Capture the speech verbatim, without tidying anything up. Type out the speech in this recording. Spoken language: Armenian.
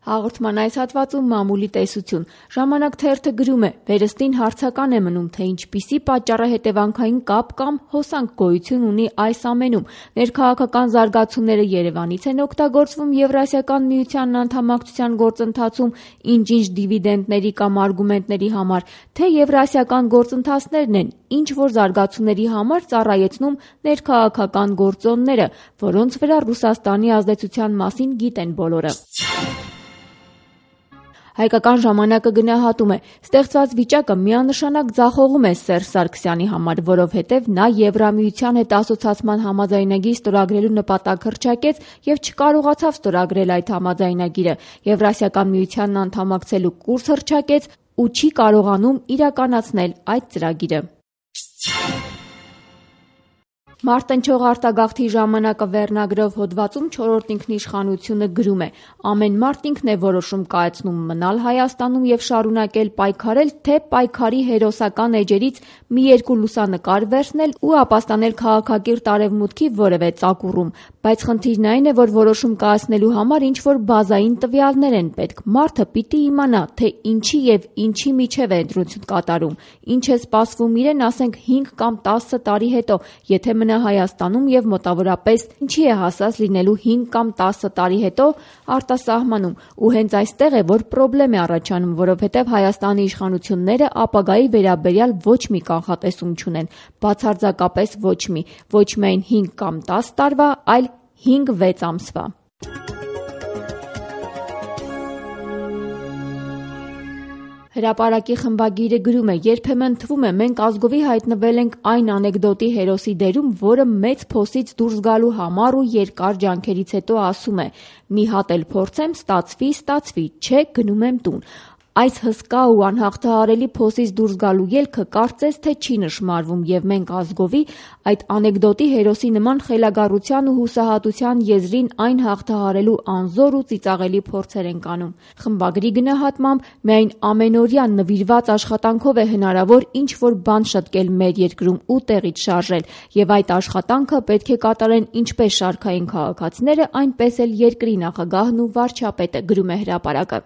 Հաղորդման այս հատվածում մամուլի տեսություն։ Ժամանակ թերթը գրում է. վերստին հարցական է մնում, թե ինչպիսի պատճառահետևանքային կապ կամ հոսանք գոյություն ունի այս ամենում։ Ներքաղաքական զարգացումները Երևանից են օգտագործվում Եվրասիական միությանն անդամակցության գործընթացում ինչ-ինչ դիվիդենտների կամ արգումենտների համար, թե եվրասիական գործընթացներն են ինչ որ զարգացումների համար ծառայեցնում ներքաղաքական գործոնները, որոնց վրա Ռուսաստանի ազդեցության մասին գիտեն բոլորը։ Հայկական ժամանակը գնահատում է. ստեղծված վիճակը միանշանակ ձախողում է Սերժ Սարգսյանի համար, որովհետև նա Եվրամիության հետ ասոցացման համաձայնագիր ստորագրելու նպատակ հռչակեց և չկարողացավ ստորագրել այդ համաձայնագիրը, Եվրասիական միությանն անդամակցելու կուրս հռչակեց ու չի կարողանում իրականացնել այդ ծրագիրը։ Մարտնչող արտագաղթի ժամանակը վերնագրով հոդվածում չորրորդ ինքնիշխանությունը գրում է. ամեն մարդ ինքն է որոշում կայացնում մնալ Հայաստանում և շարունակել պայքարել, թե պայքարի հերոսական էջերից մի երկու լուսանկար վերցնել ու ապաստանել քաղաքակիրթ արևմուտքի որևէ ծակուռում, բայց խնդիրն այն է, որ որոշում կայացնելու համար ինչ-որ բազային տվյալներ են պետք, մարդը պիտի իմանա, թե ինչի և ինչի միջև է ընտրություն կատարում, ինչ է սպասվում իրեն, ասենք հինգ կամ տասը տարի հետո, եթե մնա Հայաստանում և մոտավորապես ինչի է հասած լինելու հինգ կամ տասը տարի հետո արտասահմանում, ու հենց այստեղ է, որ պրոբլեմ է առաջանում, որովհետև Հայաստանի իշխանությունները ապագայի վերաբերյալ ոչ մի կանխատեսում չունեն, բացարձակապես ոչ մի, ոչ միայն հինգ կամ տասը տարվա, այլ հինգ-վեց ամսվա։ Հրապարակի խմբագիրը գրում է. երբեմն թվում է մենք ազգովի հայտնվել ենք այն անեկդոտի հերոսի դերում, որը մեծ փոսից դուրս գալու համառ ու երկար ջանքերից հետո ասում է. մի հատ էլ փորձեմ, ստացվի, ստացվի, չէ, գնում եմ տուն։ Այս հսկա ու անհաղթահարելի փոսից դուրս գալու ելքը կարծես թե չի նշմարվում և մենք ազգովի այդ անեկդոտի հերոսի նման խելագարության ու հուսահատության եզրին այն հաղթահարելու անզոր ու ծիծաղելի փորձեր ենք անում։ Խմբագրի գնահատմամբ միայն ամենօրյա նվիրված աշխատանքով է հնարավոր ինչ-որ բան շտկել մեր երկրում ու տեղից շարժել, և այդ աշխատանքը պետք է կատարեն ինչպես շարքային քաղաքացիները, այնպես էլ երկրի նախագահն ու վարչապետը, գրում է հրապարակը։